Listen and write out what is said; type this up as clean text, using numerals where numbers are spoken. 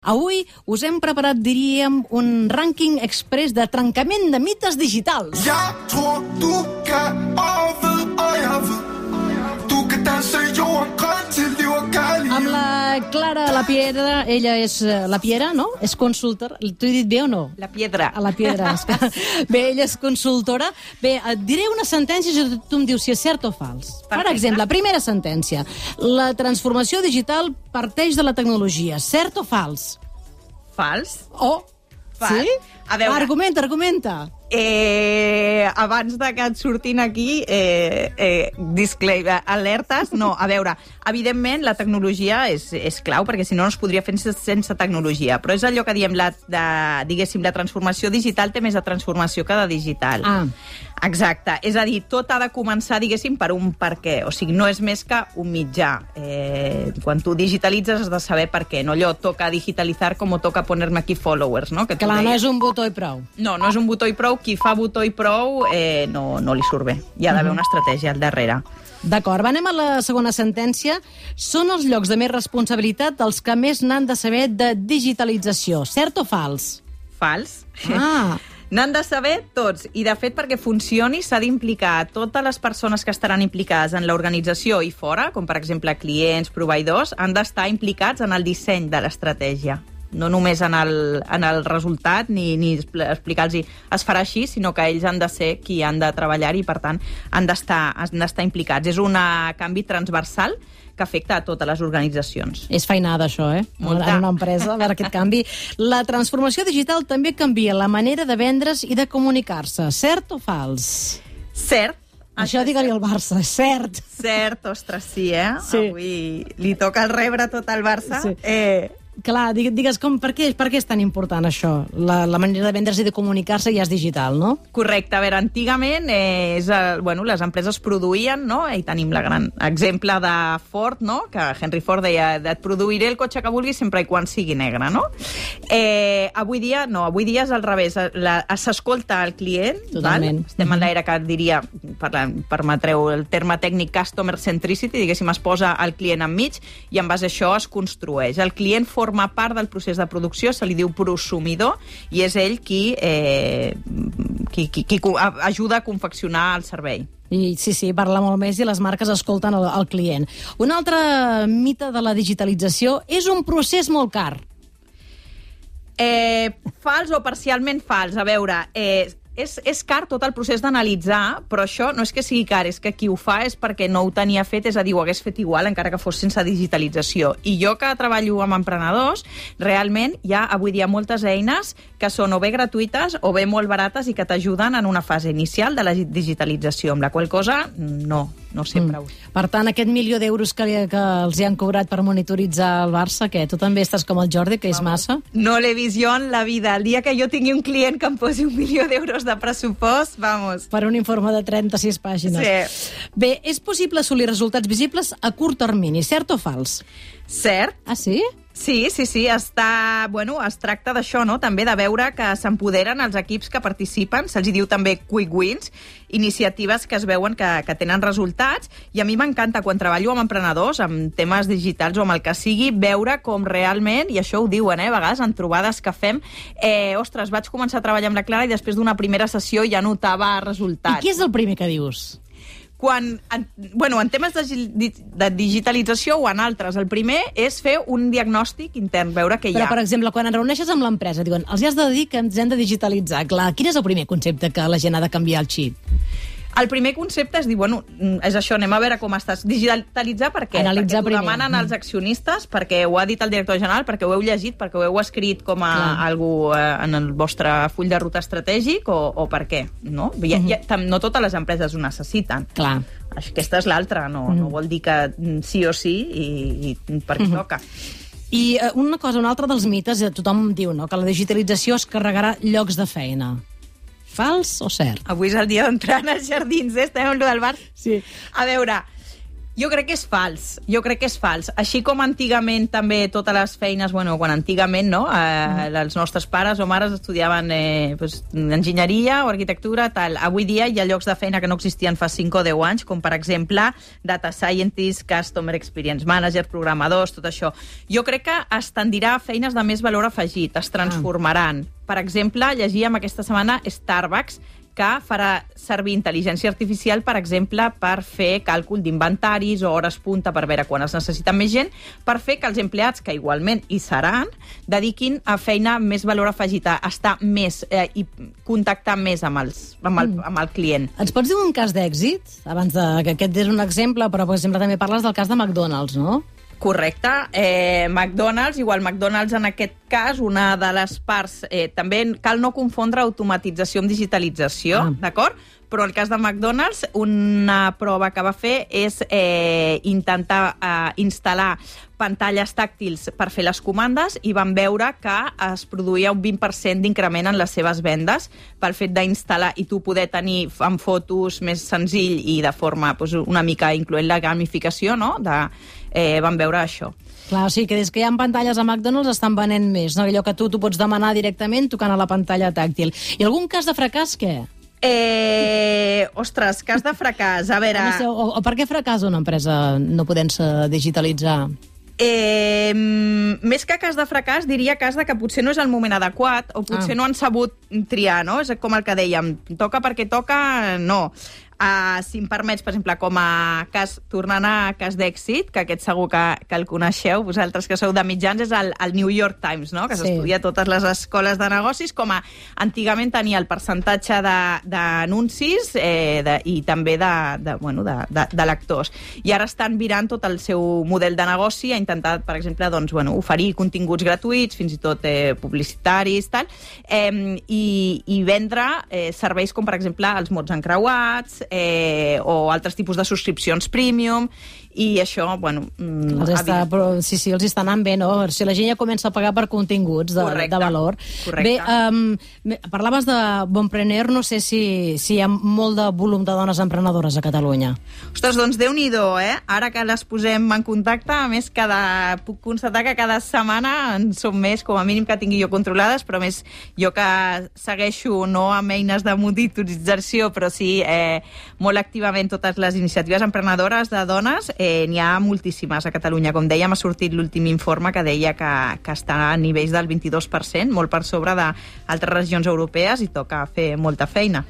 Avui us hem preparat, diríem, un rànquing express de trencament de mites digitals. Jeg tror, du kan over, og jeg ved. Du kan danse jorden grøn til liv og kærlighed. Amb la Clara La Piedra, ella és La Piedra, no? És consultora. T'ho he dit bé o no? La Piedra. A La Piedra. Bé, ella és consultora. Bé, et diré una sentència i tu em dius si és cert o fals. Per exemple, primera sentència. La transformació digital parteix de la tecnologia. Cert o fals? Fals. Oh, Fals. sí? A veure. Argumenta. Abans de que et surtin aquí disclaimer, alertes, no, a veure, evidentment la tecnologia és clau, perquè si no es podria fer sense tecnologia, però és allò que diem, diguéssim, la transformació digital té més de transformació que de digital. Ah. Exacte, és a dir, tot ha de començar, diguéssim, per un per què, o sigui, no és més que un mitjà. Quan tu digitalitzes has de saber per què, no allò toca digitalitzar com toca ponerme aquí followers, no? Que Clar, no és un botó i prou. No és un botó i prou. Qui fa botó i prou no li surt bé. Hi ha d'haver una estratègia al darrere. D'acord, anem a la segona sentència. Són els llocs de més responsabilitat els que més n'han de saber de digitalització. Cert o fals? Fals. Ah. N'han de saber tots, i de fet perquè funcioni s'ha d'implicar totes les persones que estaran implicades en l'organització i fora, com per exemple clients, proveïdors, han d'estar implicats en el disseny de l'estratègia. No només en el resultat, ni explicar-los es farà així, sinó que ells han de ser qui han de treballar i, per tant, han d'estar implicats. És un canvi transversal que afecta a totes les organitzacions. És feinada, això, Molta. En una empresa, a veure aquest canvi. La transformació digital també canvia la manera de vendre's i de comunicar-se. Cert o fals? Cert. Això digue-li al Barça, cert. Cert, ostres, sí, Sí. Avui li toca el rebre tot al Barça. Sí. Clar, digues per què és tan important això? La manera de vendre's i de comunicar-se ja és digital, no? Correcte. A veure, antigament les empreses produïen, no? I tenim el gran exemple de Ford, no? Que Henry Ford deia, et produiré el cotxe que vulguis sempre i quan sigui negre, no? Avui dia no, avui dia és al revés. S'escolta el client. Totalment. Estem en l'era que diria, permetreu el terme tècnic customer centricity, diguéssim, es posa el client enmig i en base a això es construeix. El client forma part del procés de producció, se li diu prosumidor, i és ell qui ajuda a confeccionar el servei. I sí, parla molt més i les marques escolten el client. Un altre mite de la digitalització és un procés molt car. Fals o parcialment fals. A veure, és car tot el procés d'analitzar, però això no és que sigui car, és que qui ho fa és perquè no ho tenia fet, és a dir, ho hagués fet igual encara que fos sense digitalització. I jo que treballo amb emprenedors, realment hi ha avui dia moltes eines que són o bé gratuïtes o bé molt barates i que t'ajuden en una fase inicial de la digitalització, amb la qual cosa no sempre ho... Per tant, aquest milió d'euros que els hi han cobrat per monitoritzar el Barça, què? Tu també estàs com el Jordi, que és massa? No l'he vist jo en la vida. El dia que jo tingui un client que em posi 1 milió d'euros de pressupost, vamos. Per un informe de 36 pàgines. Sí. Bé, és possible assolir resultats visibles a curt termini, cert o fals? Cert. Ah, sí? Sí, es tracta d'això, no? També de veure que s'empoderen els equips que participen, se'ls diu també quick wins, iniciatives que es veuen que tenen resultats, i a mi m'encanta quan treballo amb emprenedors, amb temes digitals o amb el que sigui, veure com realment, i això ho diuen, a vegades en trobades que fem, ostres, vaig començar a treballar amb la Clara i després d'una primera sessió ja notava resultats. I qui és el primer que dius? En temes de digitalització o en altres, el primer és fer un diagnòstic intern, veure què hi ha. Però, per exemple, quan et reuneixes amb l'empresa, diuen, els has de dir que ens hem de digitalitzar. Clar, quin és el primer concepte que la gent ha de canviar el xip? El primer concepte és dir, és això, anem a veure com estàs. Digitalitzar per què? Analitzar perquè primer. T'ho demanen els accionistes, perquè ho ha dit el director general, perquè ho heu llegit, perquè ho heu escrit com a algú en el vostre full de ruta estratègic, o per què? No? No totes les empreses ho necessiten. Clar. Aquesta és l'altra, no vol dir que sí o sí i per què toca. I un altre dels mites, tothom diu, no?, que la digitalització es carregarà llocs de feina. Fals o cert? Avui és el dia d'entrar als jardins, estem amb el del bar. Sí. A veure, Jo crec que és fals. Així com antigament també totes les feines, bueno, quan antigament, no? Els nostres pares o mares estudiaven enginyeria o arquitectura, tal. Avui dia hi ha llocs de feina que no existien fa 5 o 10 anys, com per exemple data scientist, customer experience manager, programadors, tot això. Jo crec que es tendirà a feines de més valor afegit, es transformaran. Per exemple, llegíem aquesta setmana Starbucks, que farà servir intel·ligència artificial, per exemple, per fer càlcul d'inventaris o hores punta per veure quan es necessita més gent, per fer que els empleats, que igualment hi seran, dediquin a feina més valor afegit, a estar més i contactar més amb el client. Ens pots dir un cas d'èxit? Abans que aquest és un exemple, però per exemple també parles del cas de McDonald's, no? Correcte. McDonald's, en aquest cas, una de les parts... també cal no confondre automatització amb digitalització, d'acord? Però en el cas de McDonald's, una prova que va fer és intentar instal·lar pantalles tàctils per fer les comandes i van veure que es produïa un 20% d'increment en les seves vendes pel fet d'instal·lar i tu poder tenir amb fotos més senzill i de forma una mica incloent la gamificació, no? Van veure això. Clar, o sigui que des que hi ha pantalles a McDonald's estan venent més, no? Allò que tu pots demanar directament tocant a la pantalla tàctil. I algun cas de fracàs, què? Ostres, cas de fracàs, a veure... O per què fracàs una empresa no podent-se digitalitzar? Més que cas de fracàs, diria cas de que potser no és el moment adequat o potser no han sabut triar, no? És com el que dèiem, toca perquè toca, no. Si em permets, per exemple, com a cas, tornant a cas d'èxit, que aquest segur que el coneixeu, vosaltres que sou de mitjans, és el New York Times, no? Que s'estudia a totes les escoles de negocis, com a antigament tenia el percentatge d'anuncis i també de lectors. I ara estan virant tot el seu model de negoci, ha intentat, per exemple, oferir continguts gratuïts, fins i tot publicitaris, tal, i vendre serveis com, per exemple, els mots encreuats, o altres tipus de subscripcions premium, i això, sí, els està anant bé, no? Si la gent ja comença a pagar per continguts de valor. Correcte. Bé, parlaves de Bonpreneur, no sé si hi ha molt de volum de dones emprenedores a Catalunya. Ostres, doncs Déu-n'hi-do, Ara que les posem en contacte, a més, puc constatar que cada setmana en som més, com a mínim que tingui jo controlades, però més jo que segueixo no amb eines de monitorització, però sí molt activament totes les iniciatives emprenedores de dones, n'hi ha moltíssimes a Catalunya. Com dèiem, ha sortit l'últim informe que deia que està a nivells del 22%, molt per sobre d'altres regions europees, i toca fer molta feina.